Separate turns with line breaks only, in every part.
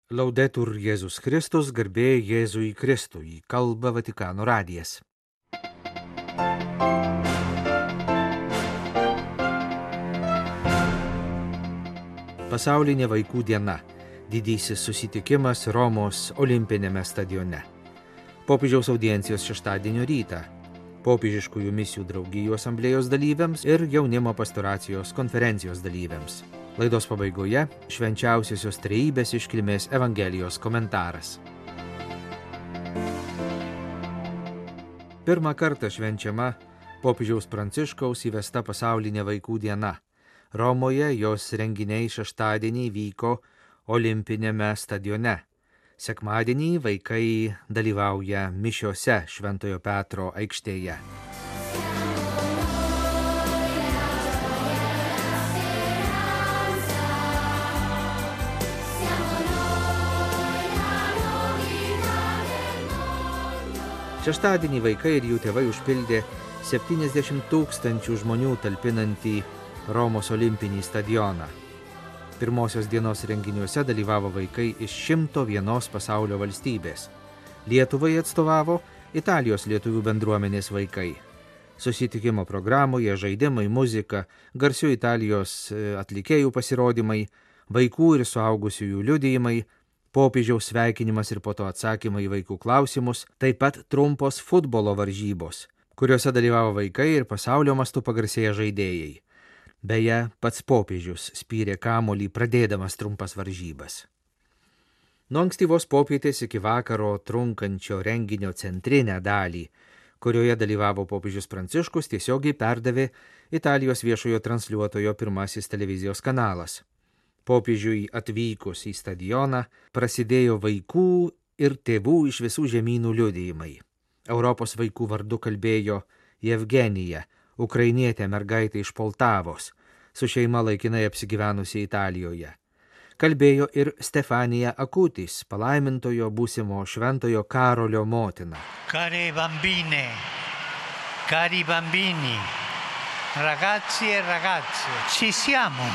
Laudetur Jėzus Kristus, garbė Jėzui Kristui, kalba Vatikano radijas. Pasaulinė vaikų diena. Didysis susitikimas Romos olimpinėme stadione. Popiežiaus audiencijos šeštadienio rytą. Popiežiškųjų misijų draugijų asamblėjos dalyviams ir jaunimo pastoracijos konferencijos dalyviams. Laidos pabaigoje švenčiausiosios trejybės iškilmės Evangelijos komentaras. Pirmą kartą švenčiama popiežiaus Pranciškaus įvesta pasaulinė vaikų diena. Romoje jos renginiai šeštadienį vyko olimpinėme stadione. Sekmadienį vaikai dalyvauja mišiose Šventojo Petro aikštėje. Šeštadienį vaikai ir jų tėvai užpildė 70 000 žmonių talpinantį Romos olimpinį stadioną. Pirmosios dienos renginiuose dalyvavo vaikai iš 101 pasaulio valstybės. Lietuvai atstovavo Italijos lietuvių bendruomenės vaikai. Susitikimo programoje žaidimai, muzika, garsių Italijos atlikėjų pasirodymai, vaikų ir suaugusiųjų liudijimai, popiežiaus sveikinimas ir po to atsakymai į vaikų klausimus, taip pat trumpos futbolo varžybos, kuriuose dalyvavo vaikai ir pasaulio mastu pagarsėję žaidėjai. Beje, pats popiežius spyrė kamuolį pradėdamas trumpas varžybas. Nuo ankstyvos popietės iki vakaro trunkančio renginio centrinę dalį, kurioje dalyvavo popiežius Pranciškus, tiesiogiai perdavė Italijos viešojo transliuotojo pirmasis televizijos kanalas. Popiežiui atvykus į stadioną prasidėjo vaikų ir tėvų iš visų žemynų liudijimai. Europos vaikų vardu kalbėjo Jevgenija, ukrainietė mergaitė iš Poltavos, su šeima laikinai apsigyvenusi Italijoje. Kalbėjo ir Stefanija Akutis, palaimintojo būsimo šventojo Karolio motina.
Cari bambini, ragazzi e ragazze, ci siamo.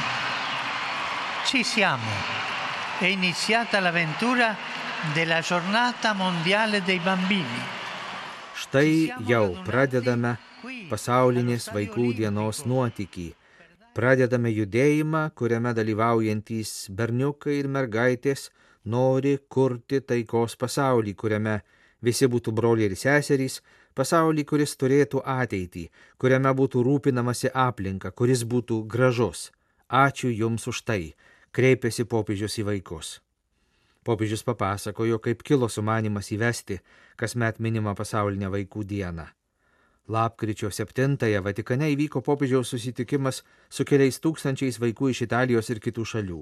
È iniziata l'avventura della giornata mondiale dei bambini.
Štai jau pradedame pasaulinės vaikų dienos nuotykį. Pradedame judėjimą, kuriame dalyvaujantys berniukai ir mergaitės nori kurti taikos pasaulį, kuriame visi būtų broliai ir seserys, pasaulį, kuris turėtų ateitį, kuriame būtų rūpinamasi aplinka, kuris būtų gražus. Ačiū Jums už tai, kreipėsi popiežius į vaikus. Popiežius papasakojo, kaip kilo sumanymas įvesti kasmet minimą pasaulinę vaikų dieną. Lapkričio 7-ąją Vatikane įvyko popiežiaus susitikimas su keliais tūkstančiais vaikų iš Italijos ir kitų šalių.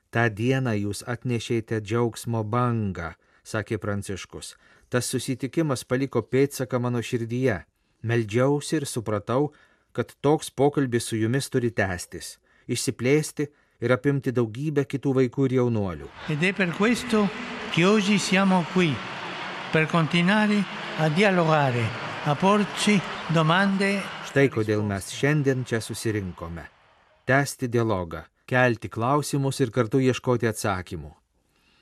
Ta dieną Jūs atnešėte džiaugsmo bangą, sakė Pranciškus. Tas susitikimas paliko pėdsaką mano širdyje. Meldžiausi ir supratau, kad toks pokalbis su Jumis turi tęstis, išsiplėsti ir apimti daugybę kitų vaikų ir jaunuolių.
Ed è per questo che oggi siamo qui, per continuare a dialogare, a porci domande.
Štai kodėl mes šiandien čia susirinkome. Tęsti dialogą, kelti klausimus ir kartu ieškoti atsakymų.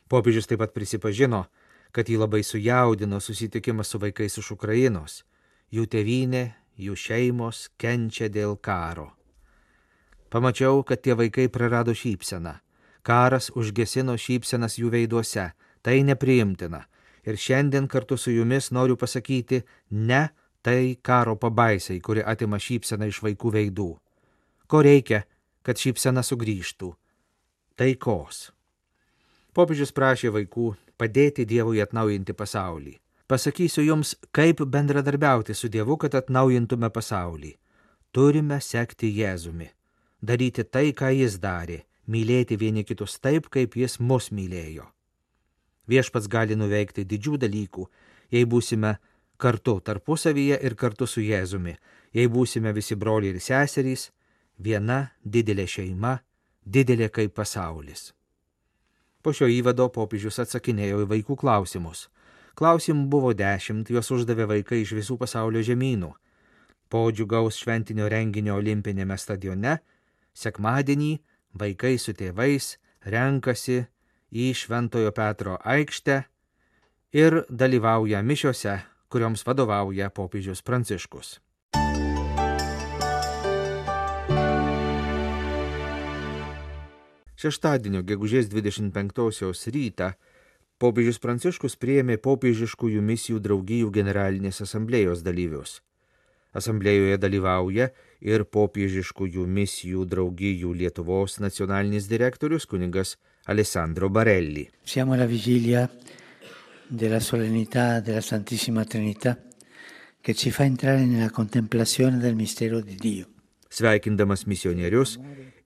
Popiežius taip pat prisipažino, kad jį labai sujaudino susitikimas su vaikais iš Ukrainos. Jų tėvynė, jų šeimos kenčia dėl karo. Pamačiau, kad tie vaikai prarado šypseną. Karas užgesino šypsenas jų veiduose. Tai nepriimtina. Ir šiandien kartu su Jumis noriu pasakyti ne tai karo pabaisai, kuri atima šypseną iš vaikų veidų. Ko reikia, kad šypsena sugrįžtų? Taikos. Popiežius prašė vaikų padėti Dievui atnaujinti pasaulį. Pasakysiu Jums, kaip bendradarbiauti su Dievu, kad atnaujintume pasaulį. Turime sekti Jėzumi. Daryti tai, ką Jis darė, mylėti vieni kitus taip, kaip Jis mus mylėjo. Viešpats gali nuveikti didžių dalykų, jei būsime kartu tarpusavyje ir kartu su Jėzumi, jei būsime visi broliai ir seserys, viena didelė šeima, didelė kaip pasaulis. Po šio įvado popiežius atsakinėjo į vaikų klausimus. Klausimų buvo 10, juos uždavė vaikai iš visų pasaulio žemynų. Po džiugaus šventinio renginio olimpinėme stadione, sekmadienį vaikai su tėvais renkasi į Šventojo Petro aikštę ir dalyvauja mišiose, kurioms vadovauja popiežius Pranciškus. Šeštadienio gegužės 25 rytą popiežius Pranciškus priėmė popiežiškųjų misijų draugijų generalinės asamblėjos dalyvius. Asamblėjoje dalyvauja ir popiežiškųjų misijų draugijų Lietuvos nacionalinis direktorius kunigas Alessandro Barelli.
Siamo alla vigilia della solennità della Santissima Trinità che ci fa entrare nella contemplazione del mistero di Dio.
Sveikindamas misionierius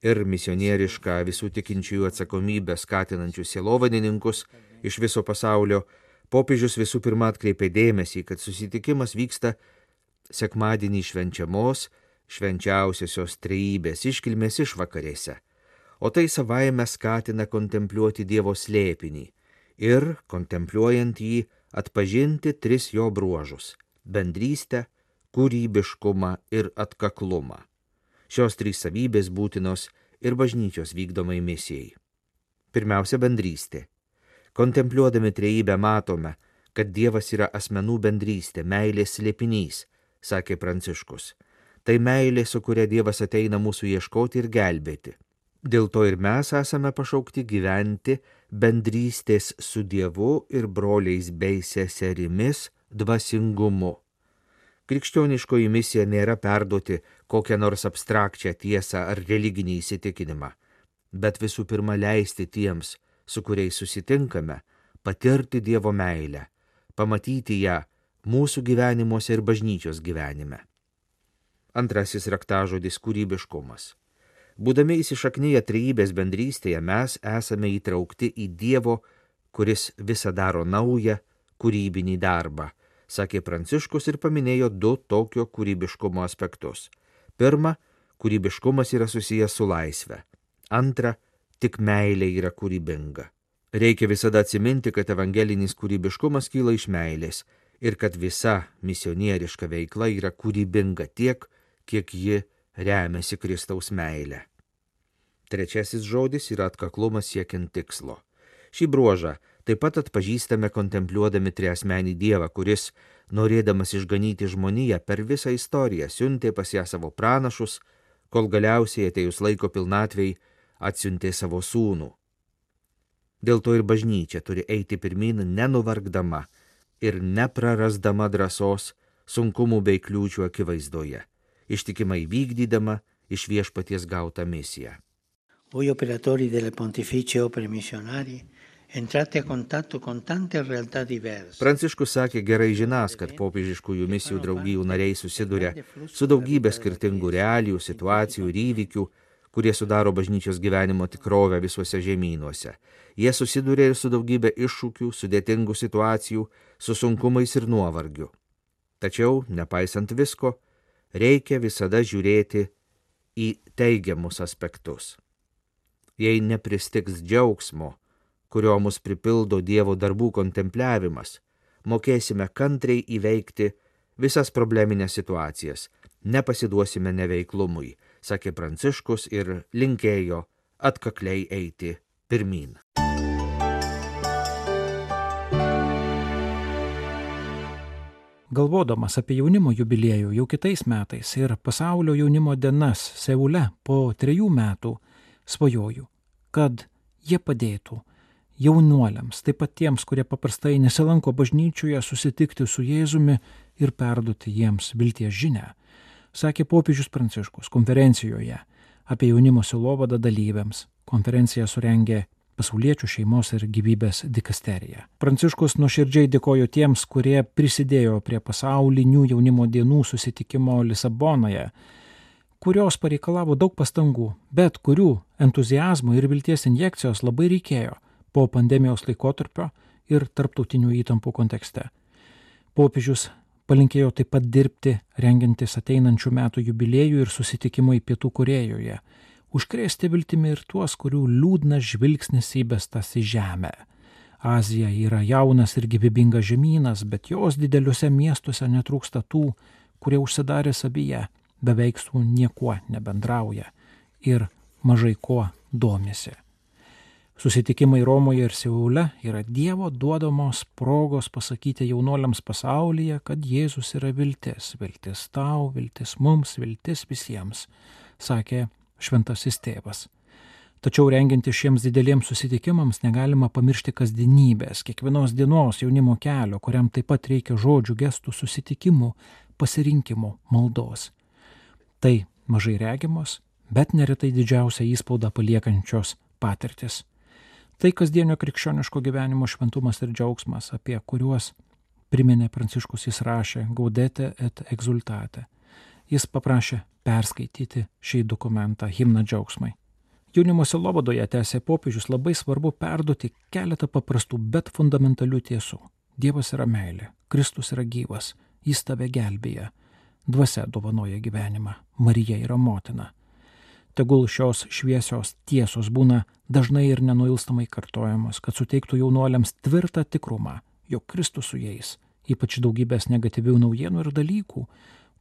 ir misionierišką visų tikinčiųjų atsakomybę skatinančius sielovadininkus iš viso pasaulio, popiežius visų pirma atkreipė dėmesį, kad susitikimas vyksta sekmadienį švenčiamos švenčiausiosios trejybės iškilmės išvakarėse, o tai savaime skatina kontempliuoti Dievo slėpinį ir, kontempliuojant jį, atpažinti tris jo bruožus – bendrystę, kūrybiškumą ir atkaklumą. Šios trys savybės būtinos ir bažnyčios vykdomai misijai. Pirmiausia, bendrystė. Kontempliuodami trejybę matome, kad Dievas yra asmenų bendrystė, meilės slėpinys, sakė Pranciškus. Tai meilė, su kuria Dievas ateina mūsų ieškoti ir gelbėti. Dėl to ir mes esame pašaukti gyventi bendrystės su Dievu ir broliais bei seserimis dvasingumu. Krikščioniškoji misija nėra perduoti kokią nors abstrakčią tiesą ar religinį įsitikinimą, bet visų pirma leisti tiems, su kuriais susitinkame, patirti Dievo meilę, pamatyti ją mūsų gyvenimuose ir bažnyčios gyvenime. Antrasis raktažodis – kūrybiškumas. Būdami įsišaknyję trejybės bendrystėje, mes esame įtraukti į Dievo, kuris visą daro naują, kūrybinį darbą, sakė Pranciškus ir paminėjo du tokio kūrybiškumo aspektus. Pirma, kūrybiškumas yra susijęs su laisve. Antra, tik meilė yra kūrybinga. Reikia visada atsiminti, kad evangelinis kūrybiškumas kyla iš meilės ir kad visa misionieriška veikla yra kūrybinga tiek, kiek ji remiasi Kristaus meilę. Trečiasis žodis yra atkaklumas siekiant tikslo. Šį bruožą taip pat atpažįstame kontempliuodami triasmenį Dievą, kuris, norėdamas išganyti žmoniją per visą istoriją, siuntė pas ją savo pranašus, kol galiausiai atėjus laiko pilnatvei atsiuntė savo sūnų. Dėl to ir bažnyčia turi eiti pirmyn nenuvargdama ir neprarasdama drąsos sunkumų bei kliūčių akivaizdoje, ištikimai vykdydama iš Viešpaties gautą misiją.
Voi operatori delle pontificie opere missionarie entrate a contatto con tante realtà diverse.
Pranciškus sakė gerai žinąs, kad popiežiškųjų misijų draugijų nariai susiduria su daugybė skirtingų realijų, situacijų ir įvykių, kurie sudaro bažnyčios gyvenimo tikrovę visuose žemynuose. Jie susiduria ir su daugybė iššūkių, sudėtingų situacijų, su sunkumais ir nuovargiu. Tačiau, nepaisant visko, reikia visada žiūrėti į teigiamus aspektus. Jei nepristigs džiaugsmo, kurio mus pripildo Dievo darbų kontempliavimas, mokėsime kantriai įveikti visas probleminės situacijas, nepasiduosime neveiklumui, sakė Pranciškus ir linkėjo atkakliai eiti pirmyn.
Galvodamas apie jaunimo jubiliejų jau kitais metais ir pasaulio jaunimo dienas Seule po 3 metų, svajoju, kad jie padėtų jaunuoliams, taip pat tiems, kurie paprastai nesilanko bažnyčioje, susitikti su Jėzumi ir perduoti jiems vilties žinią, sakė popiežius Pranciškus konferencijoje apie jaunimo sielovadą dalyviams. Konferenciją surengė Pasauliečių šeimos ir gyvybės dikasterija. Pranciškus nuoširdžiai dėkojo tiems, kurie prisidėjo prie pasaulinių jaunimo dienų susitikimo Lisabonoje, kurios pareikalavo daug pastangų, bet kurių entuziazmo ir vilties injekcijos labai reikėjo po pandemijos laikotarpio ir tarptautinių įtampų kontekste. Popiežius palinkėjo taip pat dirbti, rengiantis ateinančių metų jubiliejų ir susitikimui Pietų Korėjoje, užkrėsti viltimi ir tuos, kurių liūdnas žvilgsnis įbestas į žemę. Azija yra jaunas ir gyvybingas žemynas, bet jos dideliuose miestuose netrūksta tų, kurie užsidarė savyje, beveik su niekuo nebendrauja ir mažai kuo domisi. Susitikimai Romoje ir Seule yra Dievo duodamos progos pasakyti jaunuoliams pasaulyje, kad Jėzus yra viltis. Viltis tau, viltis mums, viltis visiems, sakė šventasis tėvas. Tačiau rengiantis šiems dideliems susitikimams negalima pamiršti kasdienybės, kiekvienos dienos jaunimo kelio, kuriam taip pat reikia žodžių, gestų, susitikimų, pasirinkimų, maldos. Tai mažai regimos, bet neretai didžiausią įspaudą paliekančios patirtis. Tai kasdienio krikščioniško gyvenimo šventumas ir džiaugsmas, apie kuriuos priminė Pranciškus, jis rašė Gaudete et exultate. Jis paprašė perskaityti šį dokumentą, himną džiaugsmai. Jaunimo sielovadoje, tęsė popiežius, labai svarbu perduoti keletą paprastų, bet fundamentalių tiesų. Dievas yra meilė, Kristus yra gyvas, jis tave gelbėja, dvasia dovanoja gyvenimą, Marija yra motina. Tegul šios šviesios tiesos būna dažnai ir nenuilstamai kartojamos, kad suteiktų jaunuoliams tvirtą tikrumą, jog Kristus su jais, ypač daugybės negatyvių naujienų ir dalykų,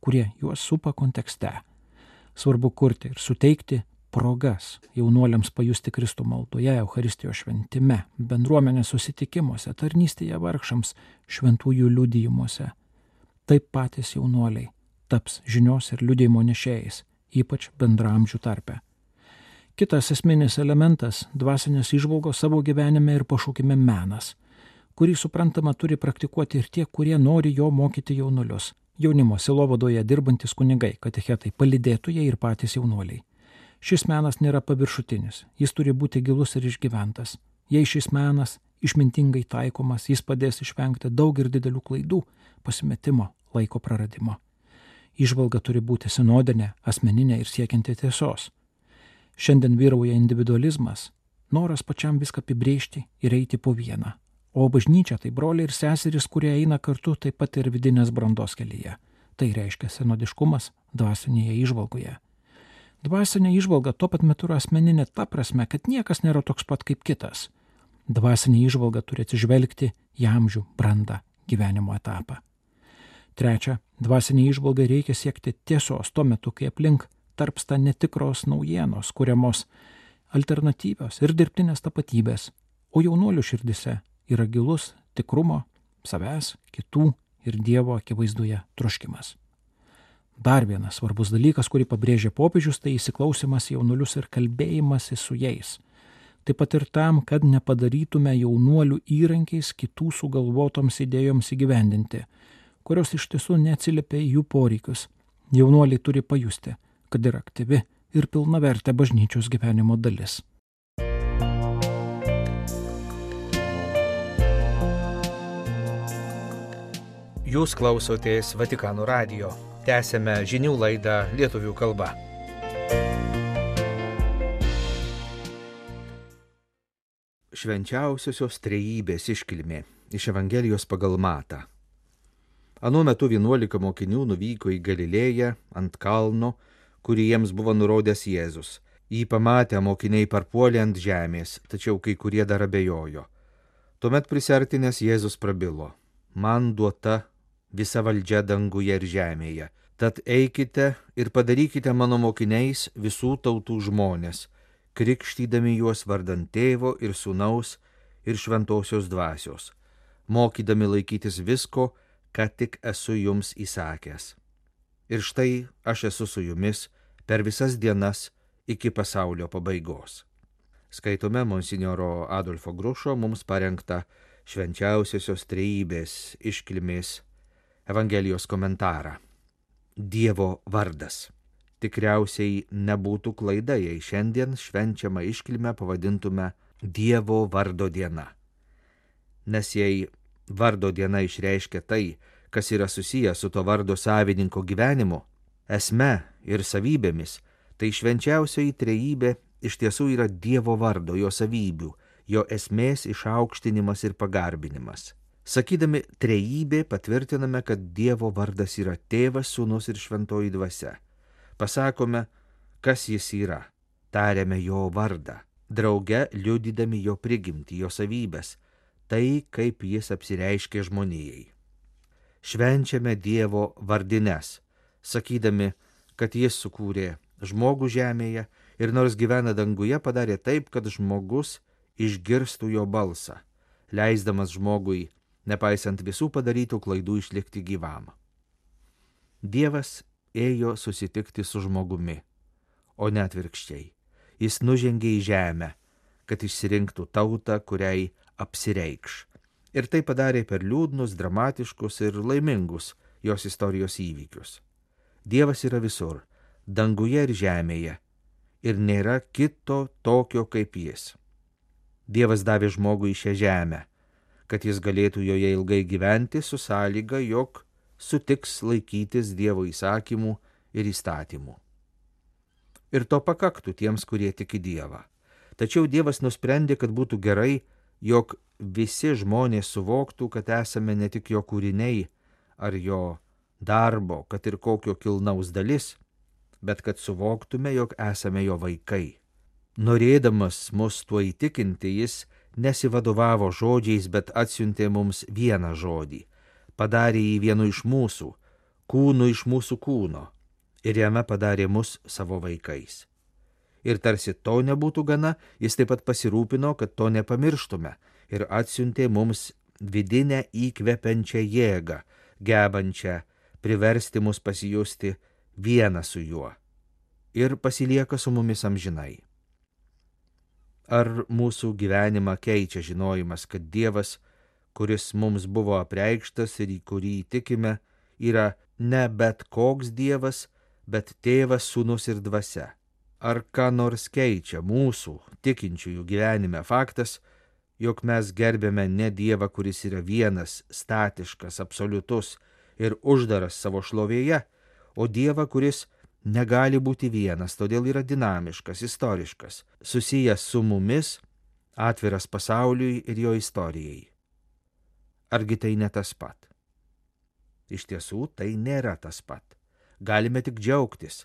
kurie juos supa kontekste. Svarbu kurti ir suteikti progas jaunuoliams pajusti Kristų maldoje, Eucharistijos šventime, bendruomenės susitikimuose, tarnystėje vargšams, šventųjų liudijimuose. Taip patys jaunuoliai taps žinios ir liudijimo nešėjais, ypač bendramžių tarpe. Kitas esminis elementas – dvasinės įžvalgos savo gyvenime ir pašaukime menas, kurį suprantama turi praktikuoti ir tie, kurie nori jo mokyti jaunuolius. Jaunimo sielovadoje dirbantis kunigai, katechetai, palydėtojai ir patys jaunuoliai. Šis menas nėra paviršutinis, jis turi būti gilus ir išgyventas. Jei šis menas išmintingai taikomas, jis padės išvengti daug ir didelių klaidų, pasimetimo, laiko praradimo. Įžvalga turi būti sinodinė, asmeninė ir siekianti tiesos. Šiandien vyrauja individualizmas, noras pačiam viską apibrėžti ir eiti po vieną. O bažnyčia tai broliai ir seserys, kurie eina kartu taip pat ir vidinės brandos kelyje. Tai reiškia sinodiškumas dvasinėje įžvalgoje. Dvasinė įžvalga tuo pat metu yra asmeninė ta prasme, kad niekas nėra toks pat kaip kitas. Dvasinė įžvalga turi atsižvelgti į amžių, brandą, gyvenimo etapą. Trečia, dvasinė įžvalga reikia siekti tiesos tuo metu, kai aplink tarpsta netikros naujienos, kuriamos alternatyvios ir dirbtinės tapatybės, o jaunuolių širdise yra gilus tikrumo, savęs, kitų ir Dievo akivaizdoje troškimas. Dar vienas svarbus dalykas, kurį pabrėžė popiežius, tai įsiklausimas į jaunuolius ir kalbėjimasi su jais. Taip pat ir tam, kad nepadarytume jaunuolių įrankiais kitų sugalvotoms idėjoms įgyvendinti, kurios iš tiesų neatsiliepia į jų poreikius. Jaunuoliai turi pajusti, kad yra aktyvi ir pilnavertė bažnyčios gyvenimo dalis.
Jūs klausotės Vatikano radijo. Tęsiame žinių laidą lietuvių kalba. Švenčiausiosios trejybės iškilmė iš Evangelijos pagal Matą. Anuo metu 11 mokinių nuvyko į Galilėją ant kalno, kurį jiems buvo nurodęs Jėzus. Jį pamatę mokiniai parpuolė ant žemės, tačiau kai kurie dar abejojo. Tuomet prisiartinęs Jėzus prabilo: man duota visa valdžia danguje ir žemėje. Tad eikite ir padarykite mano mokiniais visų tautų žmonės, krikštydami juos vardan Tėvo ir Sūnaus ir Šventosios Dvasios, mokydami laikytis visko, ką tik esu jums įsakęs. Ir štai aš esu su jumis per visas dienas iki pasaulio pabaigos. Skaitome monsinjoro Adolfo Grušo mums parengtą švenčiausiosios trejybės iškilmės Evangelijos komentarą. Dievo vardas. Tikriausiai nebūtų klaida, jei šiandien švenčiamą iškilmę pavadintume Dievo vardo diena. Nes jei vardo diena išreiškia tai, kas yra susijęs su to vardo savininko gyvenimu, esme ir savybėmis, tai švenčiausioji trejybė iš tiesų yra Dievo vardo, jo savybių, jo esmės išaukštinimas ir pagarbinimas. Sakydami trejybė patvirtiname, kad Dievo vardas yra Tėvas, Sūnus ir Šventoji Dvasia. Pasakome, kas jis yra, tariame jo vardą, drauge liudydami jo prigimtį, jo savybės, tai kaip jis apsireiškė žmonijai. Švenčiame Dievo vardines, sakydami, kad jis sukūrė žmogų žemėje ir nors gyvena danguje, padarė taip, kad žmogus išgirstų jo balsą, leisdamas žmogui, nepaisant visų padarytų klaidų, išlikti gyvam. Dievas ėjo susitikti su žmogumi, o ne atvirkščiai. Jis nužengė į žemę, kad išsirinktų tautą, kuriai apsireikš. Ir tai padarė per liūdnus, dramatiškus ir laimingus jos istorijos įvykius. Dievas yra visur, danguje ir žemėje, ir nėra kito tokio kaip jis. Dievas davė žmogui šią žemę, kad jis galėtų joje ilgai gyventi su sąlyga, jog sutiks laikytis Dievo įsakymų ir įstatymų. Ir to pakaktų tiems, kurie tiki Dievą. Tačiau Dievas nusprendė, kad būtų gerai, jog visi žmonės suvoktų, kad esame ne tik jo kūriniai ar jo darbo, kad ir kokio kilnaus dalis, bet kad suvoktume, jog esame jo vaikai. Norėdamas mus tuo įtikinti, jis nesivadovavo žodžiais, bet atsiuntė mums vieną žodį, padarė jį vienu iš mūsų, kūnu iš mūsų kūno, ir jame padarė mus savo vaikais. Ir tarsi to nebūtų gana, jis taip pat pasirūpino, kad to nepamirštume, ir atsiuntė mums vidinę įkvepiančią jėgą, gebančią priversti mus pasijusti vieną su juo, ir pasilieka su mumis amžinai. Ar mūsų gyvenimą keičia žinojimas, kad Dievas, kuris mums buvo apreikštas ir į kurį tikime, yra ne bet koks Dievas, bet Tėvas, Sūnus ir Dvasia? Ar ką nors keičia mūsų tikinčiųjų gyvenime faktas, jog mes gerbėme ne Dievą, kuris yra vienas, statiškas, absoliutus ir uždaras savo šlovėje, o Dievą, kuris negali būti vienas, todėl yra dinamiškas, istoriškas, susijęs su mumis, atviras pasauliui ir jo istorijai? Argi tai ne tas pat? Iš tiesų, tai nėra tas pat. Galime tik džiaugtis,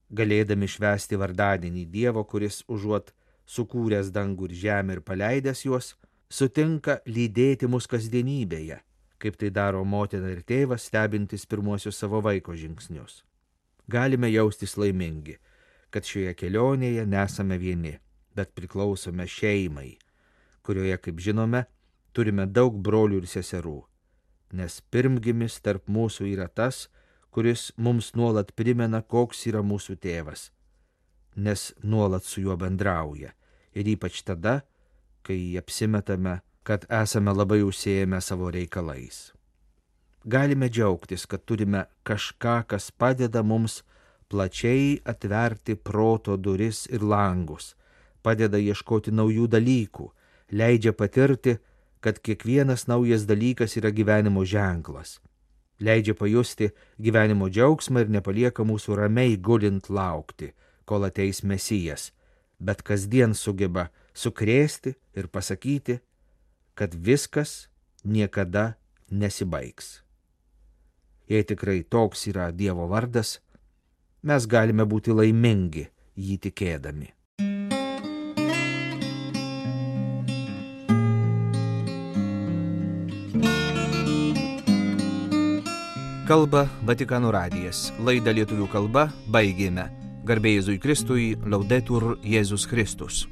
galėdami švęsti vardadienį Dievo, kuris užuot sukūręs dangų ir žemę ir paleidęs juos, sutinka lydėti mus kasdienybėje, kaip tai daro motina ir tėvas, stebintis pirmuosius savo vaiko žingsnius. Galime jaustis laimingi, kad šioje kelionėje nesame vieni, bet priklausome šeimai, kurioje, kaip žinome, turime daug brolių ir seserų, nes pirmgimis tarp mūsų yra tas, kuris mums nuolat primena, koks yra mūsų tėvas, nes nuolat su juo bendrauja, ir ypač tada, kai apsimetame, kad esame labai užsiėmę savo reikalais. Galime džiaugtis, kad turime kažką, kas padeda mums plačiai atverti proto duris ir langus, padeda ieškoti naujų dalykų, leidžia patirti, kad kiekvienas naujas dalykas yra gyvenimo ženklas, leidžia pajusti gyvenimo džiaugsmą ir nepalieka mūsų ramiai gulint laukti, kol ateis Mesijas, bet kasdien sugeba sukrėsti ir pasakyti, kad viskas niekada nesibaigs. Jei tikrai toks yra Dievo vardas, mes galime būti laimingi jį tikėdami. Kalba Vatikano radijas. Laidą lietuvių kalba baigėme. Garbė Jėzui Kristui, Laudetur Jėzus Kristus.